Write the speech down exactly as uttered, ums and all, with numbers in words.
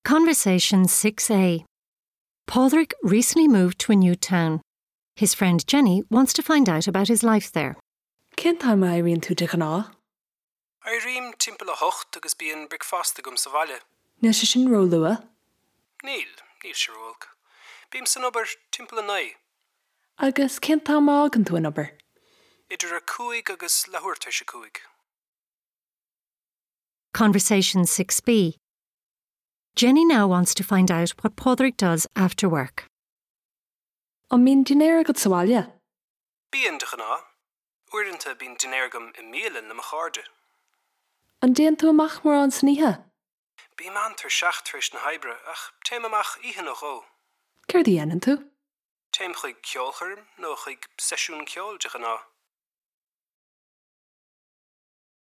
Conversation six A. Pádraig recently moved to a new town. His friend Jenny wants to find out about his life there. Cén t-am a éiríonn tú de ghnáth? Éirím timpeall a hocht agus bíonn bricfeasta agam sa bhaile. Níl sé sin róluath? Níl, níl sé ró-olc. Bím san obair timpeall a naoi. Agus cén t-am a fhágann tú an obair? Idir a cúig agus leathuair tar éis a cúig. Conversation six B. Jenny now wants to find out what Pádraig does after work. An mbíonn dinnéar agat sa bhaile? Bíonn de ghnáth. Uaireanta bíonn dinnéar agam i mbialann le mo chairde. An dtéann tú amach mórán san oíche? Bím an-tuirseach tar éis na hoibre ach téim amach oíche nó dhó. Céard a dhéanann tú? Téim chuig ceolchoirm nó chuig seisiún ceoil de ghnáth.